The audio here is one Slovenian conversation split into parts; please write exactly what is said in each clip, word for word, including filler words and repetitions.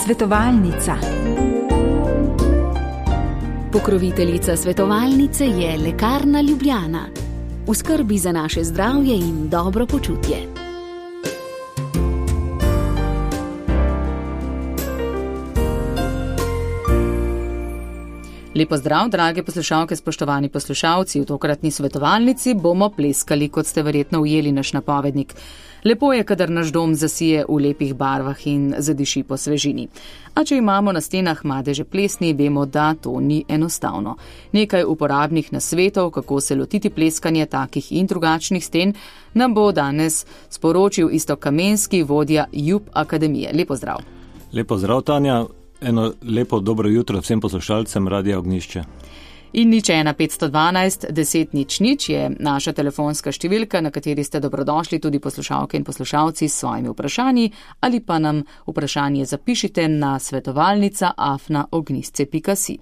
Svetovalnica. Pokroviteljica svetovalnice je Lekarna Ljubljana. V skrbi za naše zdravje in dobro počutje. Lepo zdrav, drage poslušalke, spoštovani poslušalci. V tokratni svetovalnici bomo pleskali, kot ste verjetno ujeli naš napovednik. Lepo je, kadar naš dom zasije v lepih barvah in zadiši po svežini. A če imamo na stenah madeže plesni, vemo, da to ni enostavno. Nekaj uporabnih nasvetov, kako se lotiti pleskanja takih in drugačnih sten, nam bo danes sporočil Iztok Kamenski, vodja Jub Akademije. Lepo zdrav. Lepo zdrav, Tanja. Eno lepo dobro jutro vsem poslušalcem Radia Ognjišče. In nič ena petsto dvanajst deset nič nič je naša telefonska številka, na kateri ste dobrodošli tudi poslušalke in poslušalci s svojimi vprašanji, ali pa nam vprašanje zapišite na svetovalnica afna ognjisce pika si.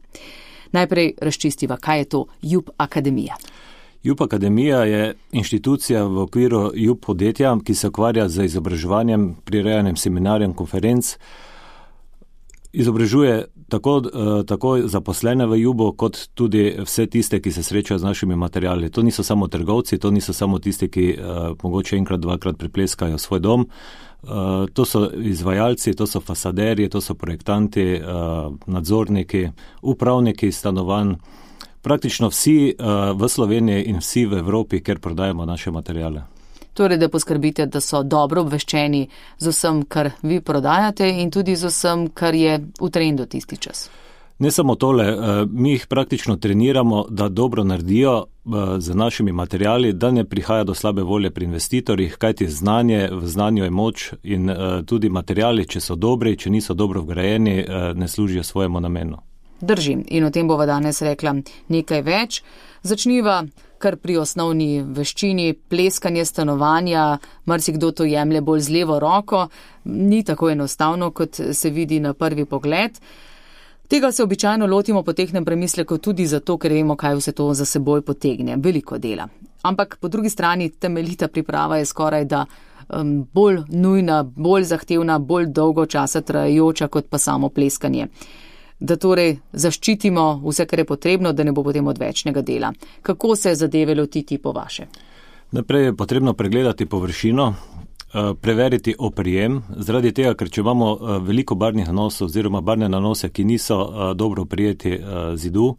Najprej razčistiva, kaj je to Jub Akademija. Jub Akademija je inštitucija v okviru Jub podjetja, ki se ukvarja z izobraževanjem, prirejanjem seminarjem, konferenc. Izobražuje tako, tako zaposlene v Jubu, kot tudi vse tiste, ki se srečajo z našimi materiali. To niso samo trgovci, to niso samo tisti, ki uh, mogoče enkrat, dvakrat pripleskajo svoj dom. Uh, to so izvajalci, to so fasaderji, to so projektanti, uh, nadzorniki, upravniki stanovanj. Praktično vsi uh, v Sloveniji in vsi v Evropi, kjer prodajamo naše materiale. Torej, da poskrbite, da so dobro obveščeni z vsem, kar vi prodajate in tudi z vsem, kar je v trendu tisti čas. Ne samo tole, mi jih praktično treniramo, da dobro naredijo z našimi materiali, da ne prihaja do slabe volje pri investitorjih, kajti znanje, v znanju je moč in tudi materiali, če so dobri, če niso dobro vgrajeni, ne služijo svojemu namenu. Držim in o tem bova danes rekla nekaj več. Začniva kar pri osnovni veščini, pleskanje stanovanja, marsikdo to jemlje bolj z levo roko, ni tako enostavno, kot se vidi na prvi pogled. Tega se običajno lotimo po tehnem premisleku tudi zato, ker vemo, kaj vse to za seboj potegne. Veliko dela. Ampak po drugi strani temeljita priprava je skoraj da um, bolj nujna, bolj zahtevna, bolj dolgo časa trajajoča kot pa samo pleskanje. Da torej zaščitimo vse, kar je potrebno, da ne bo potem odvečnega dela. Kako se zadeve lotiti po vaše? Najprej je potrebno pregledati površino, preveriti oprijem, zaradi tega, ker če imamo veliko barvnih nanosov oziroma barvne nanose, ki niso dobro oprijeti zidu,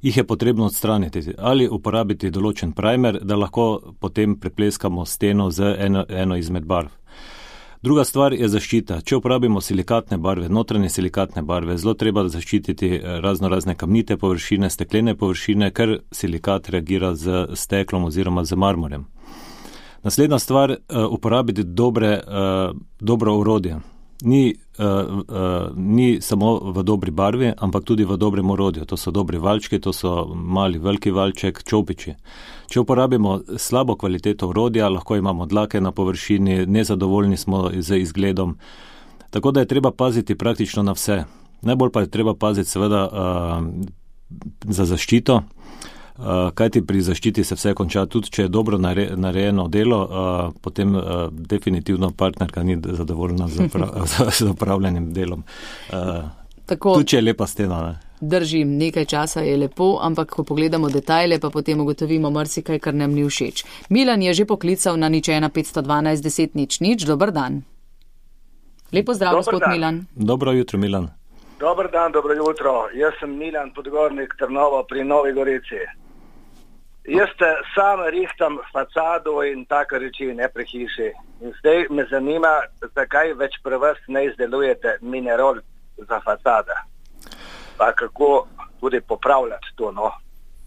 jih je potrebno odstraniti ali uporabiti določen primer, da lahko potem prepleskamo steno z eno, eno izmed barv. Druga stvar je zaščita. Če uporabimo silikatne barve, notranje silikatne barve, zelo treba zaščititi razno razne kamnite površine, steklene površine, ker silikat reagira z steklom oziroma z marmorjem. Naslednja stvar, uporabiti dobre, dobro orodje. Ni, ni samo v dobri barvi, ampak tudi v dobrem orodju. To so dobri valčki, to so mali, veliki valček, čopiči. Če uporabimo slabo kvaliteto orodja, lahko imamo dlake na površini, nezadovoljni smo z izgledom. Tako da je treba paziti praktično na vse. Najbolj pa je treba paziti seveda uh, za zaščito, uh, kajti pri zaščiti se vse konča. Tudi če je dobro nare, narejeno delo, uh, potem uh, definitivno partnerka ni zadovoljna z, upra- z upravljanjem delom. Uh, tudi če je lepa stena, ne? Držim, nekaj časa je lepo, ampak ko pogledamo detajle, pa potem ugotovimo marsikaj, kar nam ni všeč. Milan je že poklical na nič ena petsto dvanajst deset nič nič. Dobar dan. Lepo zdrav, Dobar gospod dan. Milan. Dobro jutro, Milan. Dobar dan, dobro jutro. Jaz sem Milan Podgornik, Trnovo pri Novi Gorici. Jaz te sam rihtam fasado in take reči, ne pri hiši. In zdaj me zanima, zakaj več pri vas ne izdelujete minerol za fasada. Pa kako tudi popravljati to, no,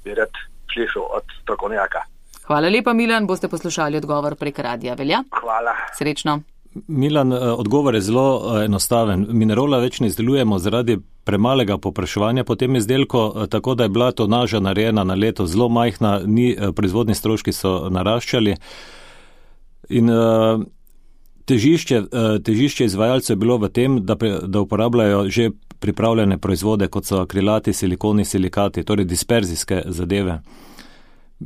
bi rad slišal od strokovnjaka. Hvala lepa, Milan, boste poslušali odgovor prek radija, velja? Hvala. Srečno. Milan, odgovor je zelo enostaven. Minerola več ne izdelujemo zaradi premalega povpraševanja po tem izdelku, tako da je bila tonaža narejena na leto zelo majhna, ni, proizvodni stroški so naraščali. In težišče, težišče izvajalcev je bilo v tem, da, da uporabljajo že pripravljene proizvode, kot so akrilati, silikoni, silikati, torej disperzijske zadeve.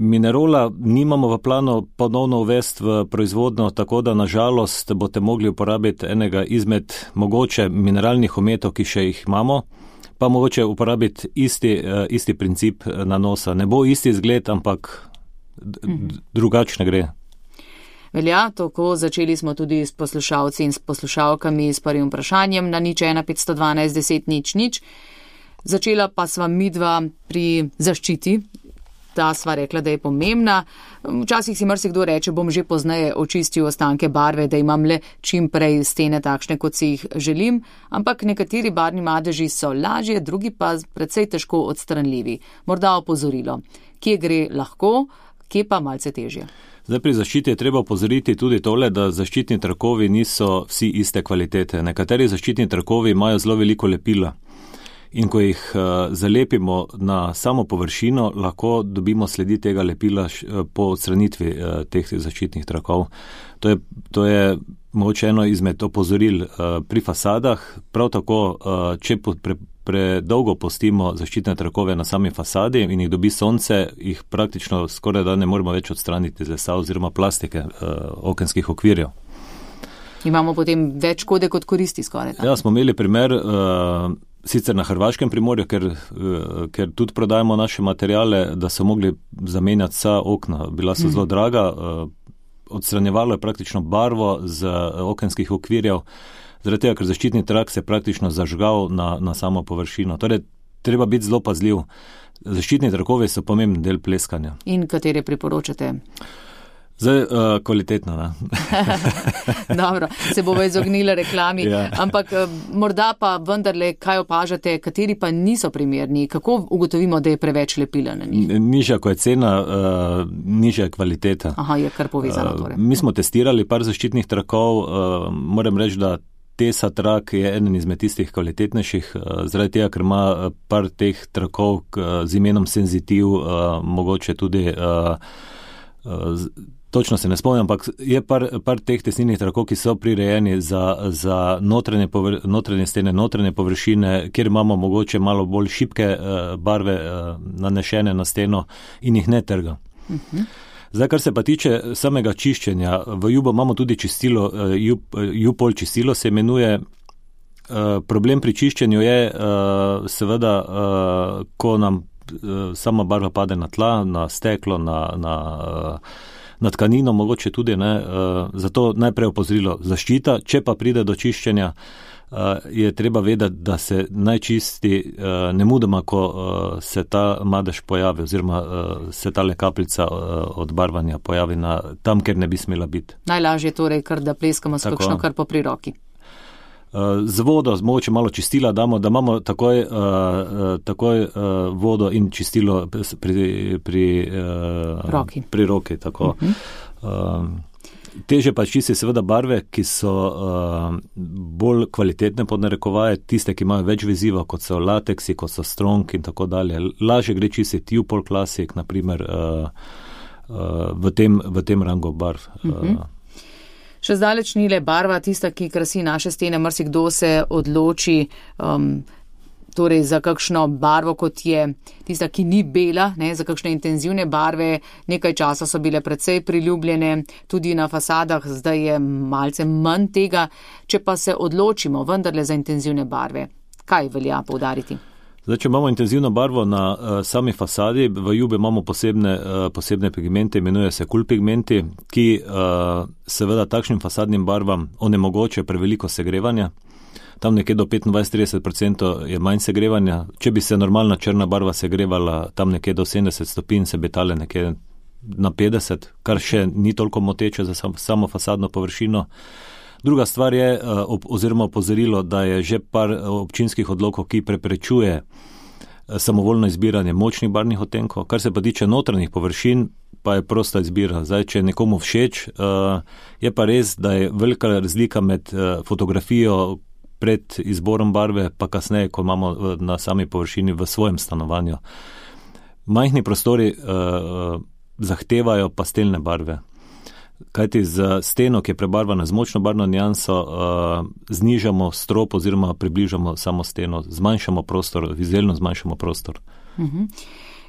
Minerola nimamo v planu ponovno uvesti v proizvodno, tako da nažalost boste mogli uporabiti enega izmed mogoče mineralnih ometov, ki še jih imamo, pa mogoče uporabiti isti, isti princip nanosa. Ne bo isti izgled, ampak drugačne gre. Velja, tako začeli smo tudi s poslušalci in s poslušalkami s prvim vprašanjem na nič ena petsto dvanajst deset nič nič. Začela pa sva midva pri zaščiti. Ta sva rekla, da je pomembna. Včasih si marsikdo reče, bom že pozneje očistil ostanke barve, da imam le čim prej stene takšne, kot si jih želim, ampak nekateri barvni madeži so lažje, drugi pa precej težko odstranljivi. Morda opozorilo, kje gre lahko, kje pa malce težje. Zdaj pri zaščiti je treba opozoriti tudi tole, da zaščitni trakovi niso vsi iste kvalitete. Nekateri zaščitni trakovi imajo zelo veliko lepila. In ko jih uh, zalepimo na samo površino, lahko dobimo sledi tega lepila š, po odstranitvi uh, teh zaščitnih trakov. To je, to je mogoče eno izmed opozoril uh, pri fasadah. Prav tako, uh, če po, pre, predolgo postimo zaščitne trakove na sami fasadi in jih dobi sonce, jih praktično skoraj da ne moramo več odstraniti z lesa oziroma plastike uh, okenskih okvirjev. Imamo potem več škode kot koristi skoraj. Ja, smo imeli primer uh, sicer na Hrvaškem primorju, ker, uh, ker tudi prodajamo naše materijale, da so mogli zamenjati vsa okna. Bila so mm. zelo draga, uh, odstranjevalo je praktično barvo z uh, okenskih okvirjev, zaradi tega, ker zaščitni trak se je praktično zažgal na, na samo površino. Torej, treba biti zelo pazljiv. Zaščitni trakovi so pomemben del pleskanja. In katere priporočate? Zdaj, uh, kvalitetno, ne? Dobro, se bova izognila reklami, ja. Ampak uh, morda pa vendarle, kaj opažate, kateri pa niso primerni, kako ugotovimo, da je preveč lepila na njih? Nižja, ko je cena, uh, nižja je kvaliteta. Aha, je kar povezano torej. Uh, mi smo testirali par zaščitnih trakov, uh, moram reči, da Tesa trak je eden izmed tistih kvalitetnejših, uh, zaradi tega, ker ima par teh trakov uh, z imenom senzitiv, uh, mogoče tudi uh, uh, Točno se ne spomnim, ampak je par, par teh tesnilnih trakov, ki so prirejeni za, za notranje, povr, notranje stene, notranje površine, kjer imamo mogoče malo bolj šibke uh, barve uh, nanešene na steno in jih ne trga. Uh-huh. Zdaj, kar se pa tiče samega čiščenja, v Jubo imamo tudi čistilo, uh, Jupol čistilo se imenuje. Uh, problem pri čiščenju je uh, seveda, uh, ko nam uh, sama barva pade na tla, na steklo, na, na uh, na tkanino, mogoče tudi, ne, uh, zato najprej opozorilo zaščita, če pa pride do čiščenja, uh, je treba vedeti, da se naj čisti uh, nemudoma, ko uh, se ta madež pojavi, oziroma uh, se ta kapljica uh, od barvanja pojavi na, tam, kjer ne bi smela biti. Najlažje torej, kar da pleskamo s kakšno kar po pri roki. Z vodo, mogoče malo čistila damo, da imamo takoj, uh, takoj uh, vodo in čistilo pri, pri, uh, roki. pri roki. Tako. Uh-huh. Uh, teže pa čisti seveda barve, ki so uh, bolj kvalitetne pod narekovaje, tiste, ki imajo več veziva, kot so lateksi, kot so strong in tako dalje. Lažje gre čistiti Jupol Classic, naprimer, uh, uh, v, tem, v tem rangu barv. Uh-huh. Uh, Še zdaleč ni le barva tista, ki krasi naše stene, marsikdo se odloči um, torej za kakšno barvo, kot je tista, ki ni bela, ne, za kakšne intenzivne barve. Nekaj časa so bile precej priljubljene, tudi na fasadah, zdaj je malce manj tega. Če pa se odločimo vendarle za intenzivne barve, kaj velja poudariti? Zdaj, če imamo intenzivno barvo na uh, sami fasadi, v Jubi imamo posebne, uh, posebne pigmente, imenuje se cool pigmenti, ki uh, seveda takšnim fasadnim barvam onemogoče preveliko segrevanja. Tam nekje do petindvajset do trideset odstotkov je manj segrevanja. Če bi se normalna črna barva segrevala tam nekje do sedemdeset stopinj, se bi tale nekje na petdeset, kar še ni toliko moteče za sam, samo fasadno površino. Druga stvar je, oziroma opozorilo, da je že par občinskih odlokov, ki preprečuje samovoljno izbiranje močnih barvnih odtenkov. Kar se pa tiče notranjih površin, pa je prosta izbira. Zdaj, če je nekomu všeč, je pa res, da je velika razlika med fotografijo pred izborom barve, pa kasneje, ko imamo na sami površini v svojem stanovanju. Majhni prostori zahtevajo pastelne barve. Kajti z steno, ki je prebarvana z močno barvno nianso, uh, znižamo strop oziroma približamo samo steno, zmanjšamo prostor, vizualno zmanjšamo prostor. Uh-huh.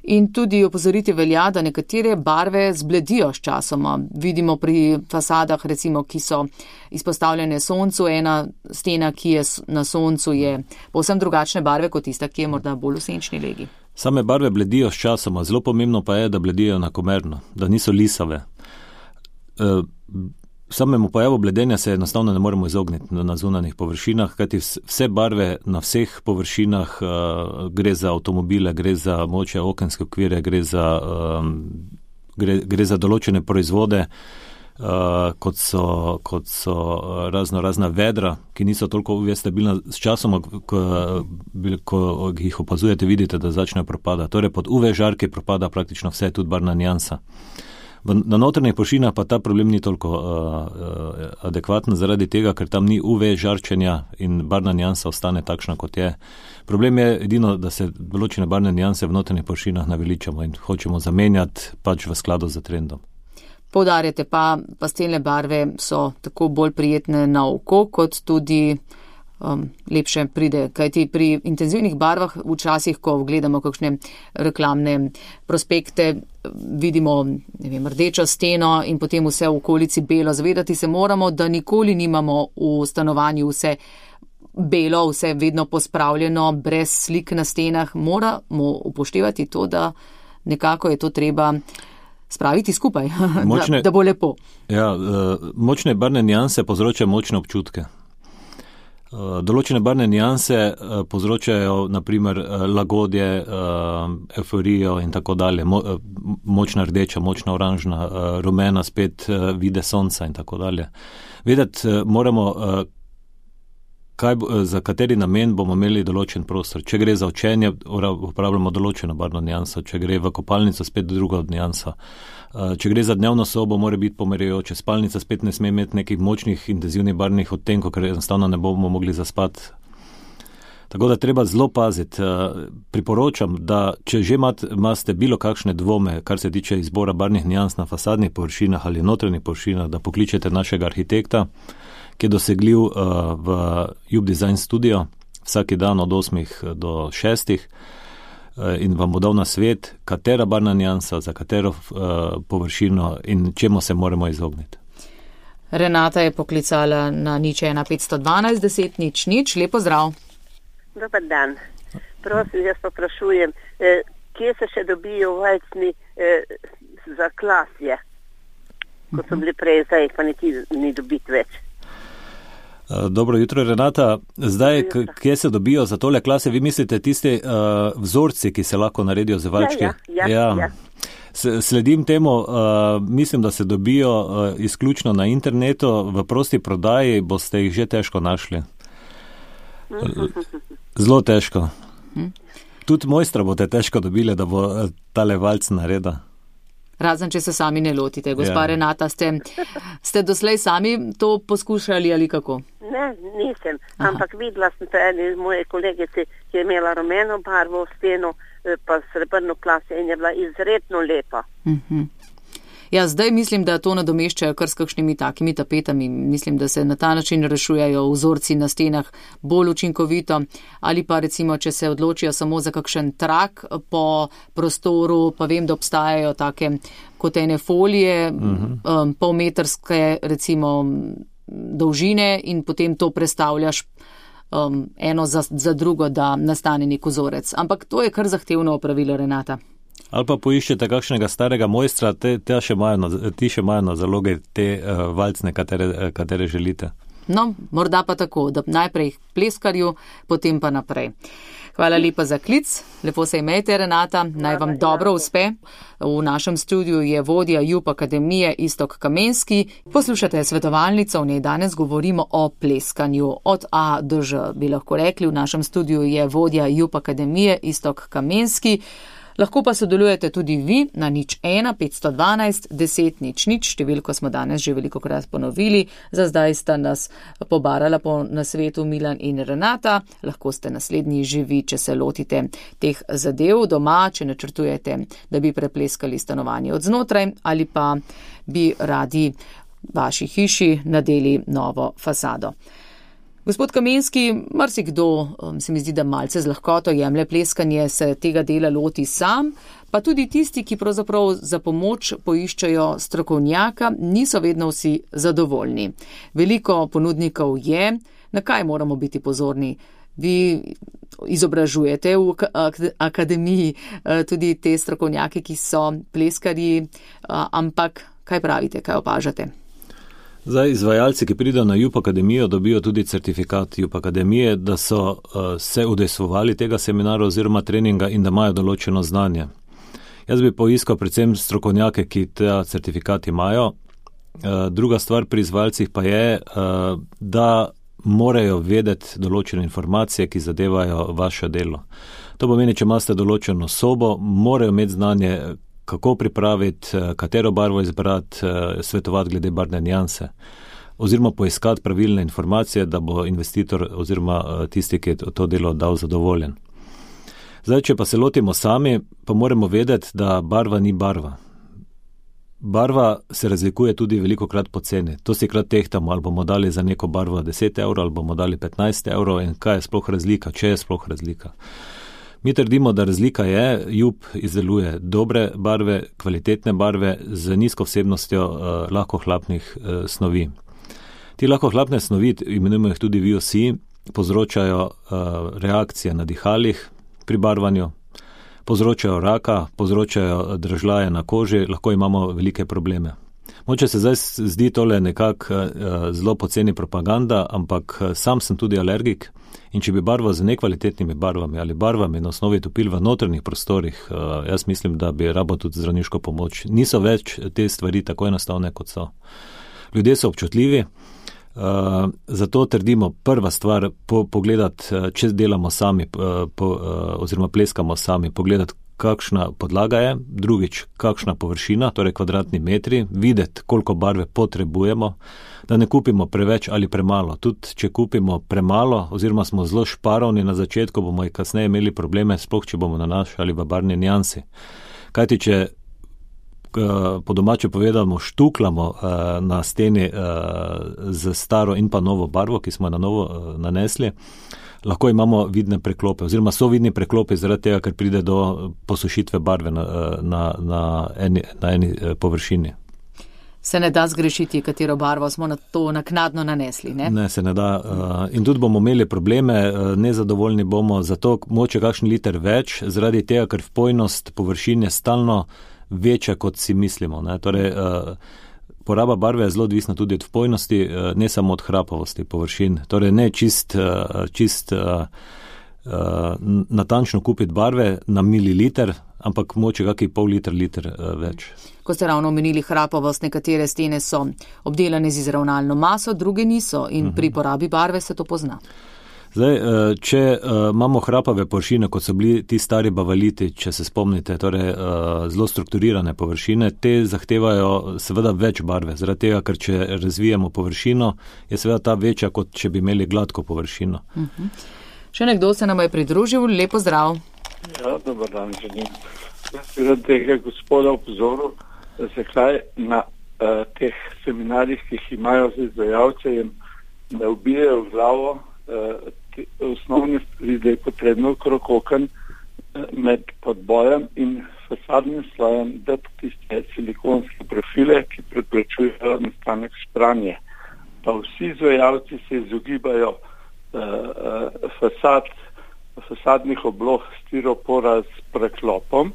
In tudi opozoriti velja, da nekatere barve zbledijo s časoma. Vidimo pri fasadah, recimo, ki so izpostavljene soncu, ena stena, ki je na soncu, je povsem drugačne barve kot tista, ki je morda bolj v senčni legi. Same barve bledijo s časoma, zelo pomembno pa je, da bledijo enakomerno, da niso lisave. E, samemu pojavu bledenja se enostavno ne moremo izogniti na zunanjih površinah, kajti vse barve na vseh površinah, uh, gre za avtomobile, gre za moče okenske okvire, gre za, um, gre, gre za določene proizvode, uh, kot so, kot so razno razna vedra, ki niso toliko U V stabilna. S časom, ko, ko jih opazujete, vidite, da začnejo propada. Torej pod U V žarki propada praktično vse, tudi barvna nijansa. Na notranjih površinah pa ta problem ni toliko uh, uh, adekvaten zaradi tega, ker tam ni U V žarčenja in barvna nijansa ostane takšna, kot je. Problem je edino, da se določene barvne nijanse v notranjih površinah naveličamo in hočemo zamenjati pač v skladu z trendom. Poudarjate pa, pastelne barve so tako bolj prijetne na oko, kot tudi um, lepše pride. Kajti pri intenzivnih barvah včasih, ko gledamo kakšne reklamne prospekte, vidimo, ne vem, rdečo steno in potem vse v okolici belo. Zavedati se moramo, da nikoli nimamo v stanovanju vse belo, vse vedno pospravljeno, brez slik na stenah. Moramo upoštevati to, da nekako je to treba spraviti skupaj, močne, da, da bo lepo. Ja, močne barvne nijanse povzročajo močne občutke. Določene barvne nijanse povzročajo naprimer lagodje, euforijo in tako dalje. Močna rdeča, močna oranžna, rumena spet vide sonca in tako dalje. Vedeti moramo, kaj, za kateri namen bomo imeli določen prostor. Če gre za učenje, uporabljamo določeno barvno nijanso, če gre v kopalnico, spet druga nijansa. Če gre za dnevno sobo, mora biti pomirjujoče. Spalnica spet ne sme imeti nekih močnih, intenzivnih barvnih odtenkov, ker enostavno ne bomo mogli zaspati. Tako da treba zelo paziti. Priporočam, da če že imate bilo kakšne dvome, kar se tiče izbora barvnih nijans na fasadnih površinah ali notranjih površinah, da pokličete našega arhitekta, ki je dosegljiv uh, v Jub Design Studio vsaki dan od osmih do šestih uh, in vam bo dal na svet, katera barvna nijansa, za katero uh, površino in čemu se moramo izogniti. Renata je poklicala na nič ena petsto dvanajst deset nič nič. Lepo zdrav. Dobar dan. Prosim, jaz poprašujem, eh, kje se še dobijo valcni eh, za klasje, ko so bili prej, zdaj pa niti ni dobiti več. Dobro jutro, Renata. Zdaj, kje se dobijo za tole klase? Vi mislite tisti uh, vzorci, ki se lahko naredijo z valčki? Ja, ja, ja, ja. ja. Sledim temu, uh, mislim, da se dobijo uh, izključno na internetu, v prosti prodaji boste jih že težko našli. Zelo težko. Tudi mojstra boste težko dobili, da bo tale valc naredil. Razen, če se sami ne lotite. Gospa ja. Renata, ste, ste doslej sami to poskušali ali kako? Ne, nisem, Aha. ampak videla sem to eni moje kolegice, ki je imela rumeno barvo v steno, pa srebrno klasje in je bila izredno lepa. Uh-huh. Ja, zdaj mislim, da to nadomeščajo kar s kakšnimi takimi tapetami. Mislim, da se na ta način rešujejo vzorci na stenah bolj učinkovito. Ali pa recimo, če se odločijo samo za kakšen trak po prostoru, pa vem, da obstajajo take kot ene folije, uh-huh. um, polmetrske recimo dolžine in potem to prestavljaš um, eno za, za drugo, da nastane nek vzorec. Ampak to je kar zahtevno opravilo, Renata. Ali pa poiščete kakšnega starega mojstra, te, te še imajo na, ti še imajo na zaloge te uh, valcne, katere, katere želite. No, morda pa tako, da najprej pleskarju, potem pa naprej. Hvala lepa za klic, lepo se imejte, Renata, naj vam dobro uspe. V našem studiu je vodja Jub Akademije Iztok Kamenski. Poslušate svetovalnico, v njej danes govorimo o pleskanju od A do Ž. Bi lahko rekli, v našem studiu je vodja Jub Akademije Iztok Kamenski. Lahko pa sodelujete tudi vi na nič ena petsto dvanajst deset nič nič, številko smo danes že veliko krat ponovili, za zdaj sta nas pobarala po nasvetu Milan in Renata, lahko ste naslednji živi, če se lotite teh zadev doma, če načrtujete, da bi prepleskali stanovanje od znotraj ali pa bi radi vaši hiši nadeli novo fasado. Gospod Kamenski, marsikdo, se mi zdi, da malce z lahkoto jemlje pleskanje, se tega dela loti sam, pa tudi tisti, ki pravzaprav za pomoč poiščejo strokovnjaka, niso vedno vsi zadovoljni. Veliko ponudnikov je, na kaj moramo biti pozorni? Vi izobražujete v akademiji tudi te strokovnjake, ki so pleskarji, ampak kaj pravite, kaj opažate? Zdaj, izvajalci, ki pridejo na Jup Akademijo, dobijo tudi certifikat Jup Akademije, da so uh, se udejstvovali tega seminara oziroma treninga in da imajo določeno znanje. Jaz bi poiskal predvsem strokovnjake, ki ta certifikat imajo. Uh, druga stvar pri izvajalcih pa je, uh, da morajo vedeti določene informacije, ki zadevajo vaše delo. To pomeni, če imate določeno sobo, morajo imeti znanje, kako pripraviti, katero barvo izbrati, svetovati glede barvne nianse, oziroma poiskati pravilne informacije, da bo investitor oziroma tisti, ki je to delo dal, zadovoljen. Zdaj, če pa se lotimo sami, pa moramo vedeti, da barva ni barva. Barva se razlikuje tudi velikokrat po ceni. To si krat tehtamo, ali bomo dali za neko barvo deset evrov, ali bomo dali petnajst evrov in kaj je sploh razlika, če je sploh razlika. Mi trdimo, da razlika je, Jup izdeluje dobre barve, kvalitetne barve z nizko vsebnostjo uh, lahkohlapnih uh, snovi. Ti lahkohlapne snovi, imenujemo jih tudi V O C, povzročajo uh, reakcije na dihalih pri barvanju, povzročajo raka, povzročajo dražljaje na koži, lahko imamo velike probleme. Moče se zdaj zdi tole nekako uh, zelo poceni propaganda, ampak uh, sam sem tudi alergik. In če bi barval z nekvalitetnimi barvami ali barvami na osnovi topil v notranjih prostorih, jaz mislim, da bi rabo tudi zdravniško pomoč. Niso več te stvari tako enostavne, kot so. Ljudje so občutljivi, zato trdimo prva stvar po, pogledati, če delamo sami po, oziroma pleskamo sami, pogledati, kakšna podlaga je, drugič, kakšna površina, torej kvadratni metri, videti, koliko barve potrebujemo, da ne kupimo preveč ali premalo. Tudi, če kupimo premalo, oziroma smo zelo šparovni na začetku, bomo i kasneje imeli probleme, sploh če bomo nanašali v barvni niansi. Kajti, če po domače povedano štuklamo na steni z staro in pa novo barvo, ki smo jo na novo nanesli, lahko imamo vidne preklope, oziroma so vidni preklopi zaradi tega, ker pride do posušitve barve na, na, na, eni, na eni površini. Se ne da zgrešiti, katero barvo smo na to naknadno nanesli, ne? Ne, se ne da. In tudi bomo imeli probleme, nezadovoljni bomo, zato moče kakšen liter več, zaradi tega, ker vpojnost površin je stalno večja, kot si mislimo, ne? Torej, poraba barve je zelo odvisna tudi od vpojnosti, ne samo od hrapavosti površin. Torej, ne čist, čist natančno kupiti barve na mililiter, ampak moče kakšni pol liter, liter več. Ko ste ravno omenili hrapavost, nekatere stene so obdelane z izravnalno maso, druge niso in uh-huh. pri porabi barve se to pozna. Zdaj, če imamo hrapave površine, kot so bili ti stari bavaliti, če se spomnite, torej zelo strukturirane površine, te zahtevajo seveda več barve, zaradi tega, ker če razvijamo površino, je seveda ta večja, kot če bi imeli gladko površino. Uh-huh. Še nekdo se nam je pridružil, lepo zdrav. Ja, dober dan, želim. Jaz bi rad tega gospoda opozoril, zakaj na uh, teh seminarjih, ki jih imajo z izvajalce, jim ne ubijajo v glavo uh, te, osnovne stvari, da je potrebno okrog oken uh, med podbojem in fasadnim slojem dati tiste silikonske profile, ki preprečujejo nastanek špranje. Pa vsi izvajalci se izogibajo uh, uh, fasad, fasadnih obloh stiropora s preklopom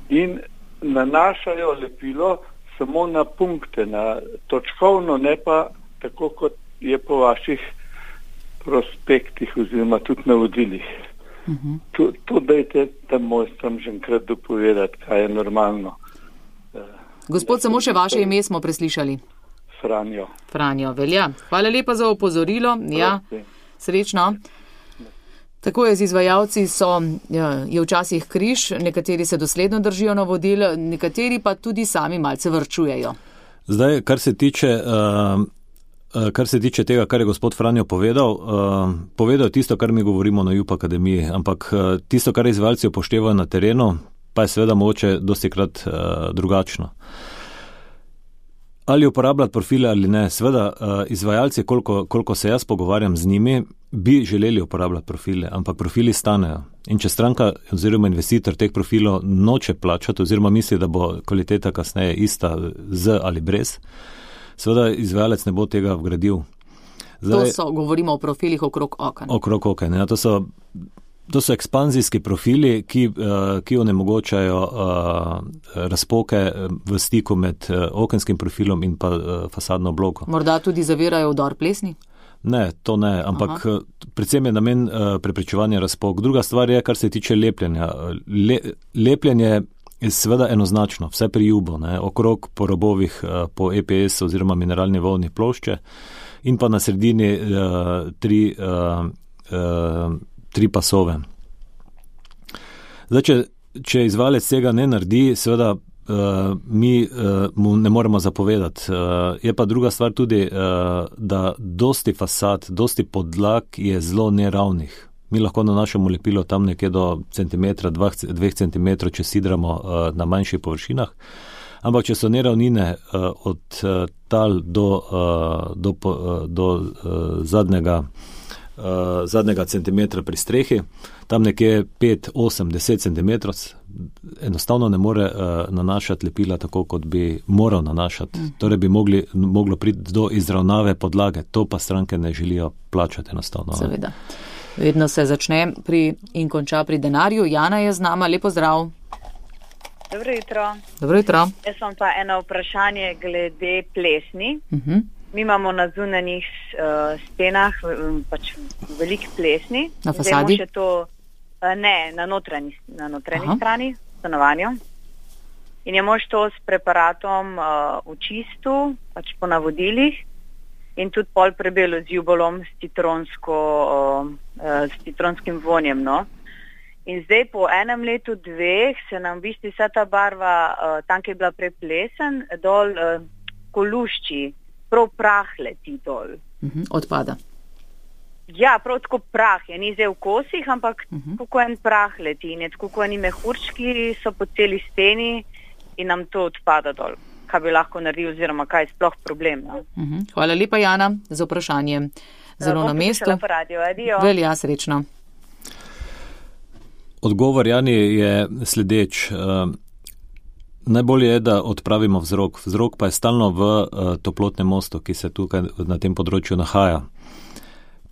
in nanašajo lepilo samo na punkte, na točkovno, ne pa tako, kot je po vaših prospektih oziroma tudi navodilih. Uh-huh. To, to dajte tam mojstrom že enkrat dopovedati, kaj je normalno. Gospod, samo še vaše ime smo preslišali. Franjo. Franjo, velja. Hvala lepa za opozorilo. Ja, srečno. Tako je z izvajalci, so, je včasih križ, nekateri se dosledno držijo navodil, nekateri pa tudi sami malce vrčujejo. Zdaj, kar se tiče, uh, kar se tiče tega, kar je gospod Franjo povedal, uh, povedal tisto, kar mi govorimo na Jup Akademiji, ampak uh, tisto, kar izvajalci upoštevajo na terenu, pa je seveda mogoče dostikrat uh, drugačno. Ali uporabljati profile ali ne. Sveda, izvajalci, koliko, koliko se jaz pogovarjam z njimi, bi želeli uporabljati profile, ampak profili stanejo. In če stranka oziroma investitor teh profilov noče plačati oziroma misli, da bo kvaliteta kasneje ista z ali brez, seveda izvajalec ne bo tega vgradil. Zdaj, to so, govorimo o profilih okrog oken. Okrog oken, ja, to so, to so ekspanzijski profili, ki, ki onemogočajo razpoke v stiku med okenskim profilom in pa fasadno obloko. Morda tudi zavirajo vdor plesni? Ne, to ne, ampak Aha. predvsem je namen preprečevanja razpok. Druga stvar je, kar se tiče lepljenja. Le, lepljenje je seveda enoznačno, vse pri jubo, ne, okrog po robovih po E P S oziroma mineralni volni plošče in pa na sredini uh, tri, uh, uh, tri pasove. Zdaj, če, če izvajalec tega ne naredi, seveda uh, mi uh, mu ne moremo zapovedati. Uh, je pa druga stvar tudi, uh, da dosti fasad, dosti podlag je zelo neravnih. Mi lahko nanašamo lepilo tam nekje do centimetra, dva, dveh centimetrov, če sidramo uh, na manjših površinah. Ampak, če so neravnine uh, od uh, tal do, uh, do, uh, do uh, zadnjega, uh, zadnjega centimetra pri strehi, tam nekje pet, osem, deset centimetrov, enostavno ne more uh, nanašati lepila tako, kot bi moral nanašati. Mm. Torej bi mogli, moglo priti do izravnave podlage. To pa stranke ne želijo plačati enostavno. Seveda. Vedno se začne pri in konča pri denarju. Jana je z nama. Lepo zdrav. Dobro jutro. Dobro jutro. Jaz sem pa eno vprašanje glede plesni. Uh-huh. Mi imamo na zunanjih uh, stenah pač veliko plesni. Na fasadi? To, uh, ne, na notranji, na notranji strani stanovanja. In je mož to s preparatom uh, v čistu, pač po navodilih, in tudi pol prebelo z jubolom s, citronsko, uh, uh, s citronskim vonjem, no. In zdaj po enem letu, dveh, se nam v bistvu vsa ta barva, uh, tam, ki je bila preplesen, dol uh, kolušči, prav prah leti dol. Uh-huh, odpada. Ja, prav tako prah je, ni zdaj v kosih, ampak uh-huh. kako en prah leti, in tako eni mehurčki so po celi steni in nam to odpada dol. Kaj bi lahko naredil oziroma kaj je sploh problem. No? Uh-huh. Hvala lepa, Jana, za vprašanje. Zelo uh, na mestu. Velja, srečno. Odgovor, Jani, je sledeč. Uh, najbolje je, da odpravimo vzrok. Vzrok pa je stalno v uh, toplotnem mostu, ki se tukaj na tem področju nahaja.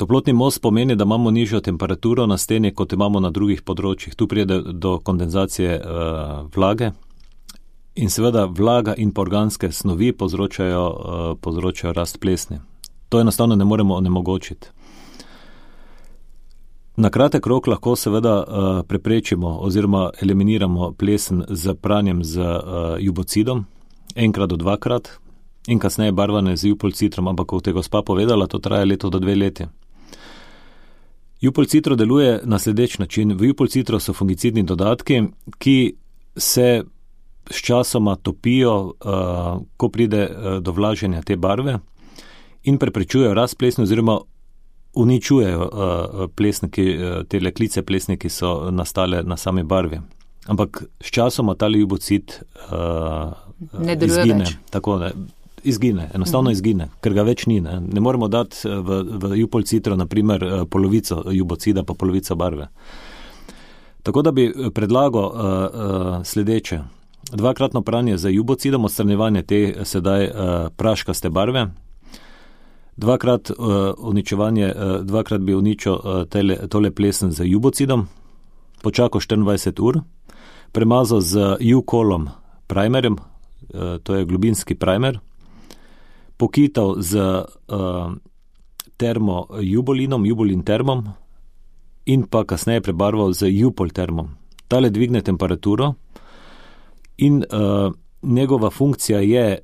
Toplotni most pomeni, da imamo nižjo temperaturo na steni, kot imamo na drugih področjih. Tu pride do kondenzacije uh, vlage in seveda vlaga in organske snovi povzročajo, uh, povzročajo rast plesni. To enostavno ne moremo onemogočiti. Na kratek rok lahko seveda uh, preprečimo oziroma eliminiramo plesen z pranjem z uh, jubocidom, enkrat do dvakrat in kasneje barvane z jupolcitrom, ampak kot je gospa povedala, to traja leto do dve leti. Jupolcitro deluje na sledeč način. V jupolcitro so fungicidni dodatki, ki se s časoma topijo, uh, ko pride uh, do vlaženja te barve in preprečujejo rast plesni oziroma uničujejo uh, plesni, ki, uh, te leklice plesni, ki so nastale na sami barvi. Ampak s časoma ta jubocid uh, izgine. Tako, ne, izgine, enostavno uh-huh. izgine, ker ga več ni. Ne, ne moremo dati v, v jupolcitro naprimer polovico jubocida pa polovico barve. Tako da bi predlagal uh, uh, sledeče. Dvakratno pranje za jubocidom, odstranjevanje te sedaj uh, praškaste barve. Dvakrat, uh, uničevanje, uh, dvakrat bi uničil uh, tele, tole plesen z jubocidom, počakal štiriindvajset ur, premazal z U-kolom primerjem, uh, to je globinski primer, pokital z uh, termo-jubolinom, jubolin termom in pa kasneje prebarval z jupol termom. Tale dvigne temperaturo in uh, njegova funkcija je,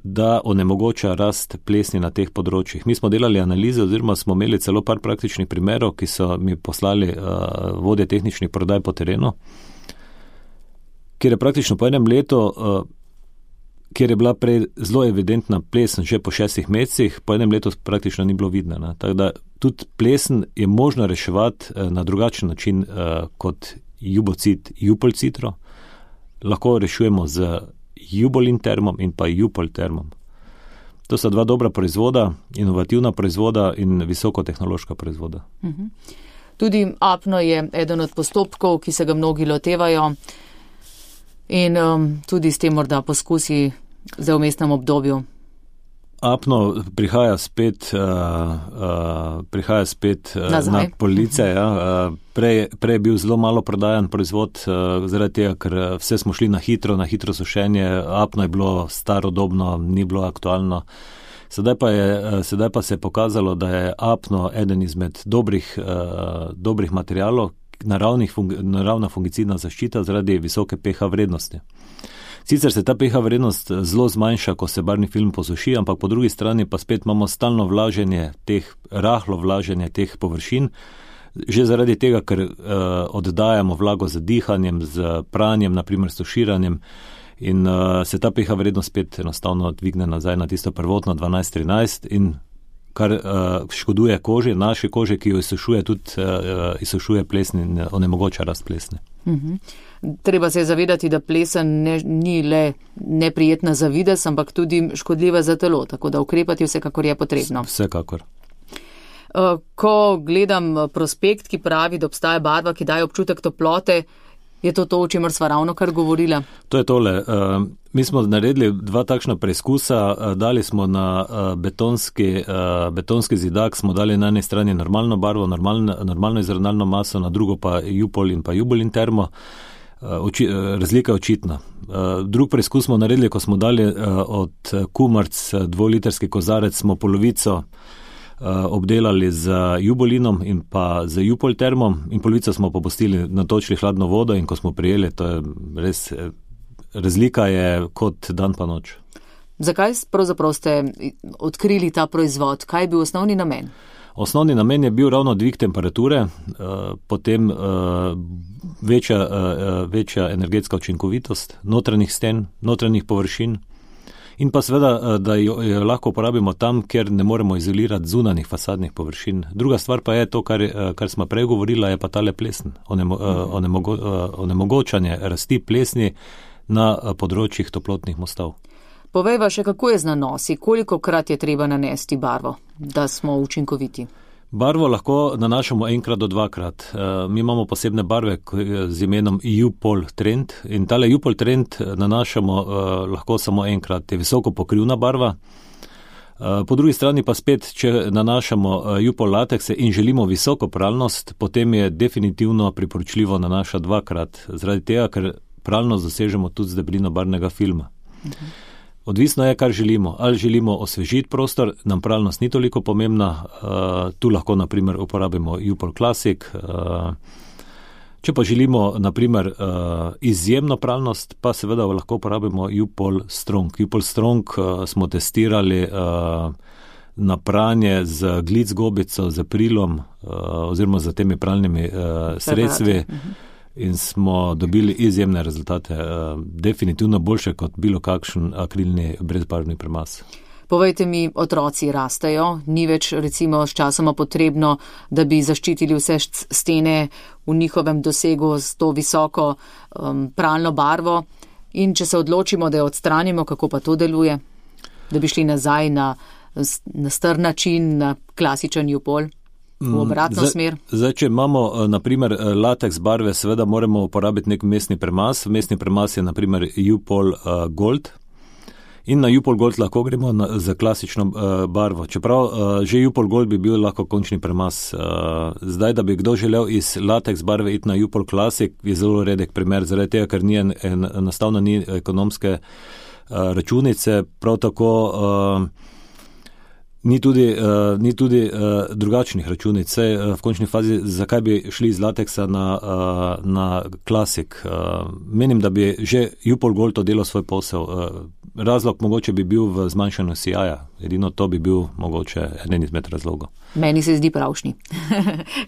da onemogoča rast plesni na teh področjih. Mi smo delali analize oziroma smo imeli celo par praktičnih primerov, ki so mi poslali uh, vodje tehničnih prodaj po terenu, kjer je praktično po enem letu, uh, kjer je bila prej zelo evidentna plesen že po šestih mesecih, po enem letu praktično ni bilo vidno. Ne? Tako da tudi plesen je možno reševati uh, na drugačen način uh, kot jubocid, jupolcitro. Lahko rešujemo z jubolin termom in pa jupol termom. To sta dva dobra proizvoda, inovativna proizvoda in visokotehnološka proizvoda. Uh-huh. Tudi apno je eden od postopkov, ki se ga mnogi lotevajo in um, tudi s tem morda poskusi za vmesnem obdobju. Apno prihaja spet, uh, uh, prihaja spet uh, na police. Ja. Uh, prej, prej je bil zelo malo prodajan proizvod, uh, zaradi tega, ker vse smo šli na hitro, na hitro sušenje. Apno je bilo starodobno, ni bilo aktualno. Sedaj pa, je, sedaj pa se je pokazalo, da je apno eden izmed dobrih, uh, dobrih materialov, fungi, naravna fungicidna zaščita zaradi visoke pH vrednosti. Sicer se ta pH vrednost zelo zmanjša, ko se barvni film posuši, ampak po drugi strani pa spet imamo stalno vlaženje teh, rahlo vlaženje teh površin, že zaradi tega, ker uh, oddajamo vlago z dihanjem, z pranjem, naprimer s tuširanjem, in uh, se ta pH vrednost spet enostavno dvigne nazaj na tisto prvotno dvanajst trinajst, in kar uh, škoduje koži, naši koži, ki jo izsušuje, tudi uh, izsušuje plesni in onemogoča rast plesne. Uh-huh. Treba se je zavedati, da plesen ne, ni le neprijetna za videz, ampak tudi škodljiva za telo, tako da ukrepati vsekakor je potrebno. Vsekakor. Ko gledam prospekt, ki pravi, da obstaja barva, ki daje občutek toplote, je to to, o čemer sva ravno kar govorila? To je tole. Mi smo naredili dva takšna preizkusa, dali smo na betonski, betonski zidak, smo dali na eni strani normalno barvo, normalno, normalno izravnalno maso, na drugo pa Jupol in pa Jubolin termo. Oči, razlika je očitna. Drug preizkus smo naredili, ko smo dali od Kumarc dvolitrski kozarec, smo polovico obdelali z Jubolinom in pa z Jupol termom in polovico smo popustili, natočili hladno vodo, in ko smo prijeli, to je res, razlika je kot dan pa noč. Zakaj pravzaprav ste odkrili ta proizvod? Kaj je bil osnovni namen? Osnovni namen je bil ravno dvig temperature, potem večja, večja energetska učinkovitost notranjih sten, notranjih površin, in pa seveda, da jo lahko uporabimo tam, kjer ne moremo izolirati zunanjih fasadnih površin. Druga stvar pa je to, kar, kar smo prej govorila, je pa tale plesen, onemo, onemogo, onemogočanje rasti plesni na področjih toplotnih mostov. Povejva še, kako je z nanosi, koliko krat je treba nanesti barvo, da smo učinkoviti? Barvo lahko nanašamo enkrat do dvakrat. Mi imamo posebne barve z imenom Jupol Trend in tale Jupol Trend nanašamo lahko samo enkrat. Je visoko pokrivna barva. Po drugi strani pa spet, če nanašamo Jupol latekse in želimo visoko pralnost, potem je definitivno priporočljivo nanašati dvakrat, zaradi tega, ker pralnost dosežemo tudi z debelino barvnega filma. Uh-huh. Odvisno je, kar želimo. Ali želimo osvežiti prostor, nam pralnost ni toliko pomembna. Uh, tu lahko, na primer, uporabimo Jupol Classic. Uh, če pa želimo, na primer, uh, izjemno pralnost, pa seveda lahko uporabimo Jupol Strong. Jupol Strong uh, smo testirali uh, na pranje z glic gobico, z aprilom uh, oziroma z temi pralnimi uh, sredstvi. Uh-huh. In smo dobili izjemne rezultate, definitivno boljše kot bilo kakšen akrilni brezbarvni premaz. Povejte mi, otroci rastejo, ni več recimo s časoma potrebno, da bi zaščitili vse stene v njihovem dosegu s to visoko um, pralno barvo, in če se odločimo, da jo odstranimo, kako pa to deluje, da bi šli nazaj na, na star način, na klasičen Jupol? V obratno zdaj, smer. Zdaj, če imamo na primer lateks barve, seveda moramo uporabiti nek mestni premaz. Mestni premaz je na primer Jupol uh, Gold. In na Jupol Gold lahko gremo na, za klasično uh, barvo. Čeprav uh, že Jupol Gold bi bil lahko končni premaz. Uh, zdaj, da bi kdo želel iz lateks barve iti na Jupol Classic, je zelo redek primer, zaradi tega, ker ni en, en, enostavno ni ekonomske uh, računice. Prav tako uh, Ni tudi, uh, ni tudi uh, drugačnih računic. Sej, uh, v končni fazi, zakaj bi šli iz lateksa na, uh, na klasik? Uh, menim, da bi že Jupol Gold delal svoj posel. Uh, razlog mogoče bi bil v zmanjšanju sijaja. Edino to bi bil mogoče eden izmed razlogov. Meni se zdi pravšnji.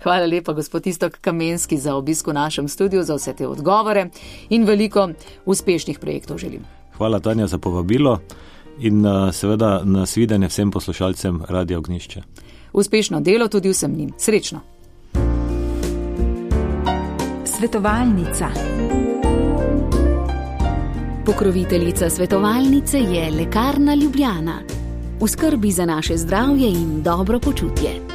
Hvala lepa, gospod Iztok Kamenski, za obisk v našem studiu, za vse te odgovore in veliko uspešnih projektov želim. Hvala, Tanja, za povabilo. In uh, seveda nasvidenje vsem poslušalcem Radia Ognjišče. Uspešno delo tudi vsem njim. Srečno. Svetovalnica. Pokroviteljica svetovalnice je Lekarna Ljubljana. v skrbi za naše zdravje in dobro počutje.